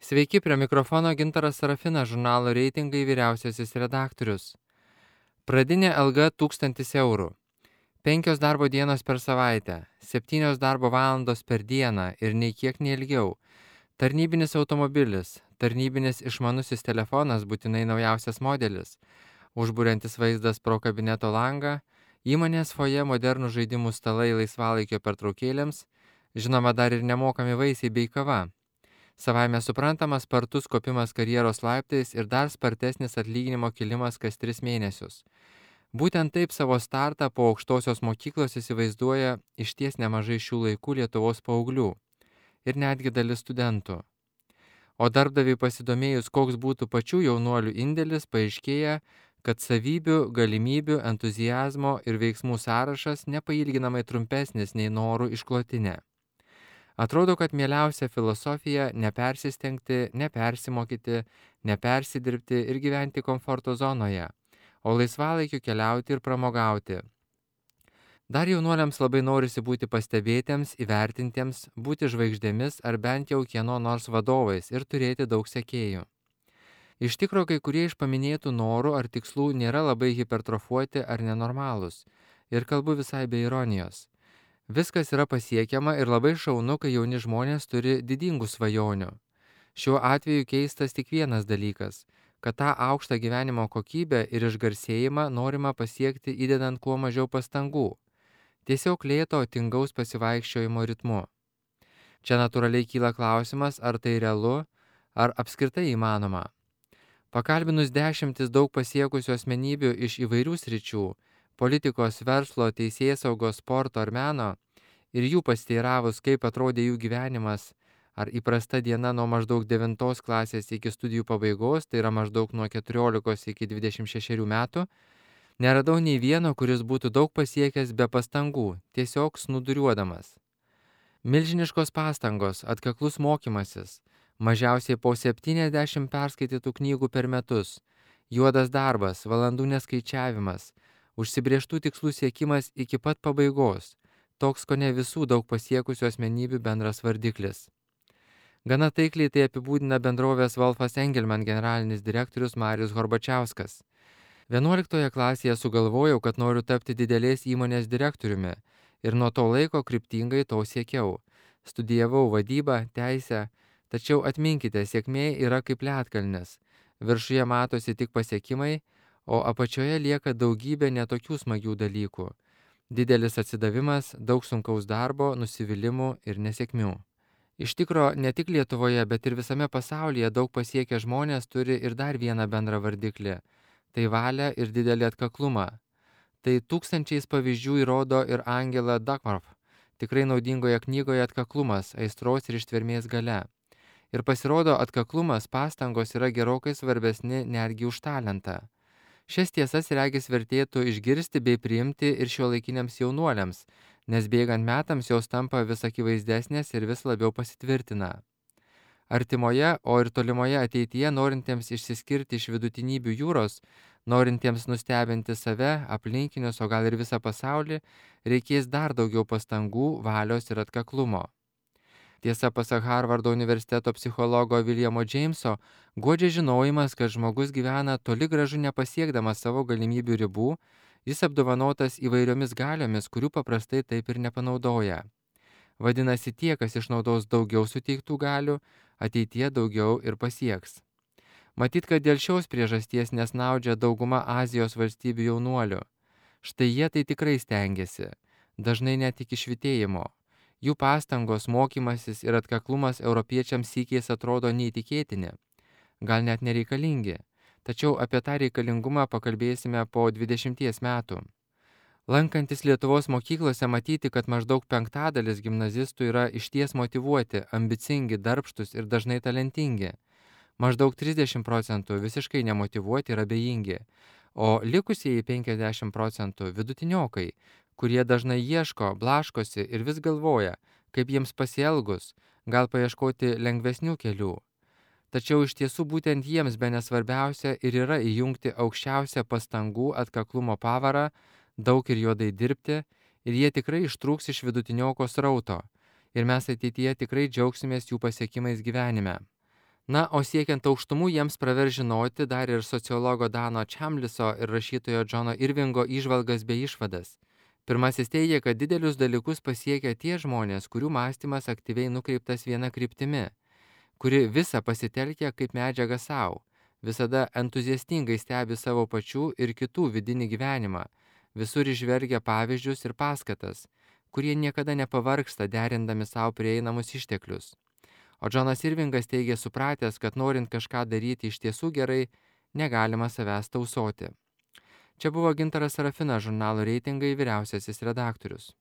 Sveiki, prie mikrofono Gintaras Sarafinas, žurnalo Reitingai vyriausiasis redaktorius. Pradinė alga 1000 eurų. 5 darbo dienos per savaitę, 7 darbo valandos per dieną ir nei kiek neilgiau. Tarnybinis automobilis, tarnybinis išmanusis telefonas, būtinai naujausias modelis, užburiantis vaizdas pro kabineto langą, įmonės foje modernų žaidimų stalai laisvalaikio pertraukėlėms, žinoma dar ir nemokami vaisiai bei kava. Savaime suprantamas spartus kopimas karjeros laiptais ir dar spartesnis atlyginimo kilimas kas 3 mėnesius. Būtent taip savo startą po aukštosios mokyklos įsivaizduoja išties nemažai šių laikų Lietuvos paauglių ir netgi dalis studentų. O darbdaviui pasidomėjus, koks būtų pačių jaunuolių indėlis, paaiškėja, kad savybių, galimybių, entuziazmo ir veiksmų sąrašas nepailginamai trumpesnis nei norų išklotinė. Atrodo, kad mieliausia filosofija nepersistengti, nepersimokyti, nepersidirbti ir gyventi komforto zonoje, o laisvalaikiu keliauti ir pramogauti. Dar jaunuoliams labai norisi būti pastebėtiems, įvertintiems, būti žvaigždėmis ar bent jau kieno nors vadovais ir turėti daug sekėjų. Iš tikro, kai kurie iš paminėtų norų ar tikslų nėra labai hipertrofuoti ar nenormalūs, ir kalbu visai be ironijos. Viskas yra pasiekiama ir labai šaunu, kai jauni žmonės turi didingų svajonių. Šiuo atveju keistas tik vienas dalykas, kad tą aukštą gyvenimo kokybę ir išgarsėjimą norima pasiekti įdedant kuo mažiau pastangų. Tiesiog lėto, tingaus pasivaikščiojimo ritmu. Čia natūraliai kyla klausimas, ar tai realu, ar apskritai įmanoma. Pakalbinus 10 daug pasiekusių asmenybių iš įvairių sričių, politikos, verslo, teisėsaugos, sporto ar meno, ir jų pasteiravus, kaip atrodė jų gyvenimas, ar įprasta diena nuo maždaug 9 klasės iki studijų pabaigos, tai yra maždaug nuo 14 iki 26 metų, neradau nei vieno, kuris būtų daug pasiekęs be pastangų, tiesiog snūduriuodamas. Milžiniškos pastangos, atkaklus mokymasis, mažiausiai po 70 perskaitytų knygų per metus, juodas darbas, valandų neskaičiavimas, užsibrėžtų tikslų siekimas iki pat pabaigos, toks kone visų daug pasiekusių asmenybių bendras vardiklis. Gana taikliai tai apibūdina bendrovės Wolfas Engelman generalinis direktorius Marius Horbačiauskas. 11 klasėje sugalvojau, kad noriu tapti didelės įmonės direktoriumi ir nuo to laiko kryptingai to siekiau. Studijavau vadybą, teisę, tačiau atminkite, sėkmė yra kaip ledkalnis. Viršuje matosi tik pasiekimai, o apačioje lieka daugybė netokių smagių dalykų. Didelis atsidavimas, daug sunkaus darbo, nusivylimų ir nesėkmių. Iš tikro, ne tik Lietuvoje, bet ir visame pasaulyje daug pasiekę žmonės turi ir dar vieną bendrą vardiklį – tai valią ir didelį atkaklumą. Tai tūkstančiais pavyzdžių įrodo ir Angela Duckworth, tikrai naudingoje knygoje Atkaklumas, aistros ir ištvermės galia. Ir pasirodo, atkaklumas, pastangos yra gerokai svarbesni netgi už talentą. Šias tiesas regis vertėtų išgirsti bei priimti ir šiuolaikiniams jaunuoliams, nes bėgant metams jos tampa vis akivaizdesnės ir vis labiau pasitvirtina. Artimoje, o ir tolimoje ateityje norintiems išsiskirti iš vidutinybių jūros, norintiems nustebinti save, aplinkinius, o gal ir visą pasaulį, reikės dar daugiau pastangų, valios ir atkaklumo. Tiesa, pasak Harvardo universiteto psichologo Williamo Jameso, guodžia žinojimas, kad žmogus gyvena toli gražu nepasiekdamas savo galimybių ribų, jis apdovanotas įvairiomis galiomis, kurių paprastai taip ir nepanaudoja. Vadinasi, tie, kas išnaudos daugiau suteiktų galių, ateityje daugiau ir pasieks. Matyt, kad dėl šios priežasties nesnaudžia dauguma Azijos valstybių jaunuolių. Štai jie tai tikrai stengiasi, dažnai net iki švytėjimo. Jų pastangos, mokymasis ir atkaklumas europiečiams sykiais atrodo neįtikėtini, gal net nereikalingi, tačiau apie tą reikalingumą pakalbėsime po 20 metų. Lankantis Lietuvos mokyklose matyti, kad maždaug 5% gimnazistų yra išties motyvuoti, ambicingi, darbštus ir dažnai talentingi. Maždaug 30% visiškai nemotyvuoti ir abejingi, o likusieji 50% vidutiniokai, kurie dažnai ieško, blaškosi ir vis galvoja, kaip jiems pasielgus, gal paieškoti lengvesnių kelių. Tačiau iš tiesų būtent jiems bene svarbiausia ir yra įjungti aukščiausią pastangų atkaklumo pavarą, daug ir juodai dirbti, ir jie tikrai ištrūks iš vidutinioko srauto, ir mes ateityje tikrai džiaugsimės jų pasiekimais gyvenime. Na, o siekiant aukštumų jiems praver žinoti dar ir sociologo Dano Čamliso ir rašytojo Džono Irvingo įžvalgas bei išvadas. Pirmasis teigia, kad didelius dalykus pasiekia tie žmonės, kurių mąstymas aktyviai nukreiptas viena kryptimi, kuri visą pasitelkia kaip medžiagą savo, visada entuziastingai stebi savo pačių ir kitų vidinį gyvenimą, visur išvergia pavyzdžius ir paskatas, kurie niekada nepavargsta derindami savo prieinamus išteklius. O Džonas Irvingas teigia supratęs, kad norint kažką daryti iš tiesų gerai, negalima savęs tausoti. Čia buvo Gintaras Sarafinas, žurnalo Reitingai vyriausiasis redaktorius.